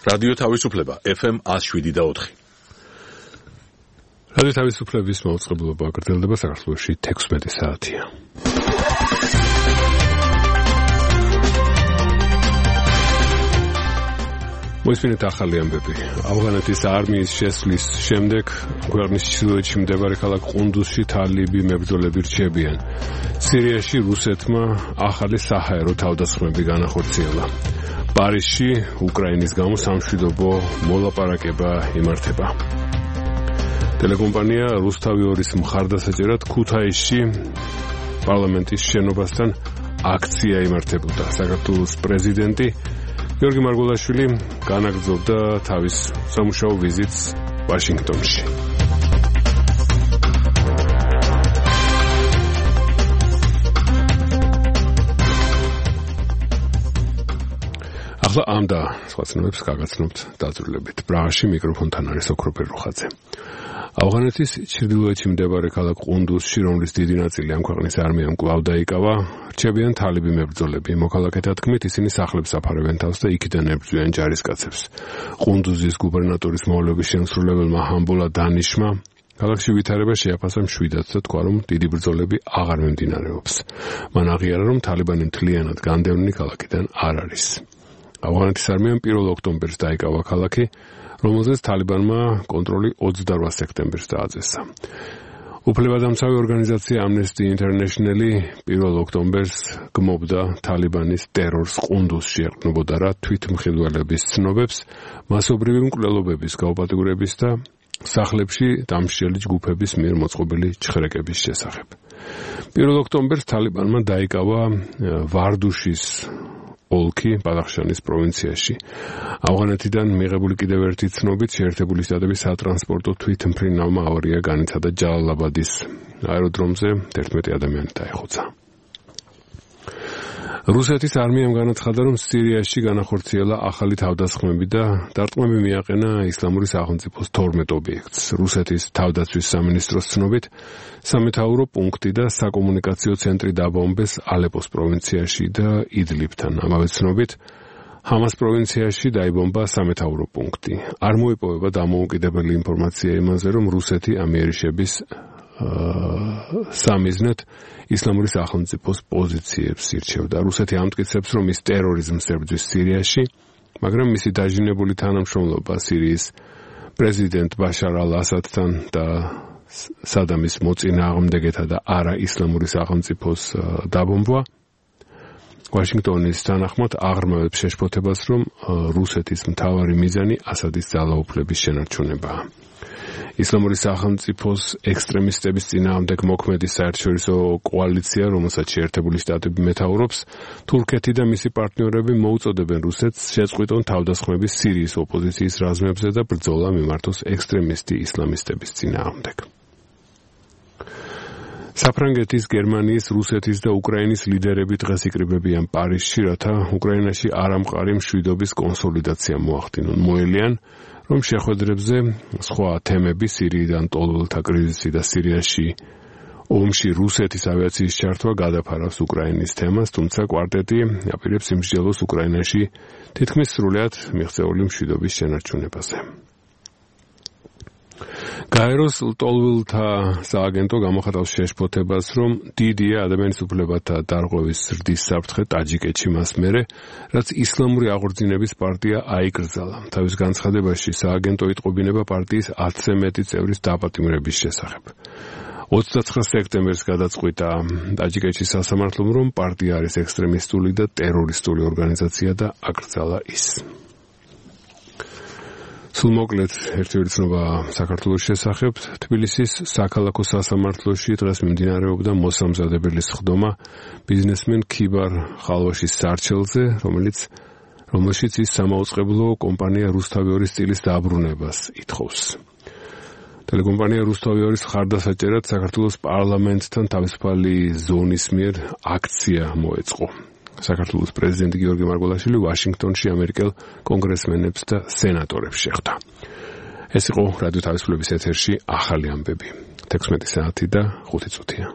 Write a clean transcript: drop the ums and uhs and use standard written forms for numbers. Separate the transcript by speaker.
Speaker 1: რადიო თავისუფლება FM 107.4.
Speaker 2: რადიო თავისუფლების მაუწყებლობა გრძელდება საქართველოში 16 საათია. მოისმინეთ ახალი ამბები. ავღანეთის არმიის შესვლის შემდეგ ქვეყნის ჩრდილოეთში მდებარე ქალაქ ყუნდუსში თალიბი მებრძოლები რჩებიან. სირიაში რუსეთმა ახალი საჰაერო თავდასხმები განახორციელა. პარიზში უკრაინის გამო სამშვიდობო მოლაპარაკება იმართება. ტელეკომპანია რუსთავი 2-ის მხარდასაჭერად ქუთაისში პარლამენტის შენობასთან აქცია იმართებოდა. საქართველოს პრეზიდენტი გიორგი მარგველაშვილი განაგრძობდა თავის სამუშაო ვიზიტს ვაშინგტონში. ახლა ამ და სხვა ცნობებს გაგაცნობთ დაძრულებით. პრაღაში მიკროფონთან არის ოქროპერ რუხაძე. ავღანეთის ჩრდილოეთში მდებარე ქალაქ ყუნდუსში, რომლის დიდი ნაწილი ამ ქვეყნის არმიამ კვლავ დაიკავა, რჩებიან თალიბი მებრძოლები. მოქალაქეთა თქმით, ისინი სახლებს აფარებენ თავს და იქიდან ებრძვიან ჯარისკაცებს. ყუნდუზის გუბერნატორის მოვალეობის შემსრულებელმა ჰამბოლა დანიშმა ქალაქში ვითარება შეაფასა მშვიდად და თქვა, რომ დიდი ბრძოლები აღარ მიმდინარეობს. მან აღიარა, რომ თალიბანი მთლიანად განდევნილი ქალაქიდან არ არის. ავღანეთის არმიამ 1 ოქტომბერს დაიკავა ქალაქი, რომელზეც თალიბანმა კონტროლი 28 სექტემბერს დააწესა. უფლებადამცავი ორგანიზაცია Amnesty International 1 ოქტომბერს გმობდა თალიბანის ტერორს ყუნდუსში ეყრდნობოდა რა თვითმხილველების ცნობებს, მასობრივი მკვლელობების გაუპატიურების და სახლებში დამსჯელი ჯგუფების მიერ მოწყობილი ჩხრეკების შესახებ. 1 ოქტომბერს თალიბანმა დაიკავა ვარდუშის ოლქი ბადახშანის პროვინციაში. ავღანეთიდან მიღებული კიდევ ერთი ცნობით შეერთებული შტატების სატრანსპორტო თვითმფრინავმა ავარია განიცადა ჯალალაბადის აეროდრომზე 11 ადამიანი დაიხოცა. რუსეთის არმიამ განაცხადა, რომ სირიაში განახორციელა ახალი თავდასხმები და დარტყმები მიაყენა ისლამური სახელმწიფოს 12 ობიექტს. რუსეთის თავდაცვის სამინისტროს ცნობით, სამეთაურო პუნქტი და საკომუნიკაციო ცენტრი დაბომბეს ალეპოს პროვინციაში და იდლიბთან. ამავე ცნობით, ჰამას პროვინციაში დაიბომბა სამეთაურო პუნქტი. არ მოიპოვება დამოუკიდებელი ინფორმაცია იმაზე, რომ რუსეთი ამ იერიშების სამიზნედ ისლამური სახელმწიფოს პოზიციებს ირჩევდა. რუსეთი ამტკიცებს, რომ ის ტერორიზმს ებრძვის სირიაში, მაგრამ მისი დაჟინებული თანამშრომლობა სირიის პრეზიდენტ ბაშარ ალ-ასადთან და სადამის მოწინააღმდეგეთა და არა ისლამური სახელმწიფოს დაბომბვა ვაშინგტონის თანახმად აღრმავებს შეშფოთებას, რომ რუსეთის მთავარი მიზანი ასადის ძალაუფლების შენარჩუნებაა. ისლამური სახელმწიფოს ექსტრემისტების წინააღმდეგ მოქმედი საერთაშორისო კოალიცია, რომელსაც შეერთებული შტატები მეთაურობს, თურქეთი და მისი პარტნიორები მოუწოდებენ რუსეთს შეწყვიტონ თავდასხმები სირიის ოპოზიციის რაზმებზე და ბრძოლა მიმართოს ექსტრემისტი ისლამისტების წინააღმდეგ. საფრანგეთის, გერმანიის, რუსეთის და უკრაინის ლიდერები დღეს იკრიბებიან პარიზში, რათა უკრაინაში არამყარი მშვიდობის კონსოლიდაცია მოახდინონ. მოელიან, რომ შეხვედრებზე სხვა თემები სირიიდან ტოლველთა კრიზისი და სირიაში ომში რუსეთის ავიაციის ჩართვა გადაფარავს უკრაინის თემას, თუმცა კვარტეტი აპირებს იმსჯელოს უკრაინაში თითქმის სრულად მიღწეული მშვიდობის შენარჩუნებაზე. გაეროს ლტოლვილთა სააგენტო გამოხატავს შეშფოთებას, რომ დიდია ადამიანის უფლებათა დარღვევის ზრდის საფრთხე ტაჯიკეთში მას მერე, რაც ისლამური აღორძინების პარტია აიკრძალა. თავის განცხადებაში სააგენტო იტყობინება პარტიის 10-ზე მეტი წევრის დაპატიმრების შესახებ. 29 სექტემბერს გადაწყვიტა ტაჯიკეთში სასამართლომ, რომ პარტია არის ექსტრემისტული და ტერორისტული ორგანიზაცია და აკრძალა ის. სულ მოკლედ ერთი ცნობა საქართველოს შესახებ. თბილისის საქალაქო სასამართლოში დღეს მიმდინარეობდა მოსამზადებლის სხდომა ბიზნესმენ ქიბარ ხალვაშის სარჩელზე, რომელშიც ის სამაუწყებლო კომპანია რუსთავი 2-ის წილის დაბრუნებას ითხოვს. ტელეკომპანია რუსთავი 2-ის მხარდასაჭერად საქართველოს პარლამენტთან თავისუფალი ზონის მიერ აქცია მოეწყო. საქართველოს პრეზიდენტი გიორგი მარგველაშვილი ვაშინგტონში ამერიკელ კონგრესმენებს და სენატორებს შეხვდა. ეს იყო რადიო თავისუფლების ეთერში ახალი ამბები. 16 საათი და 5 წუთია.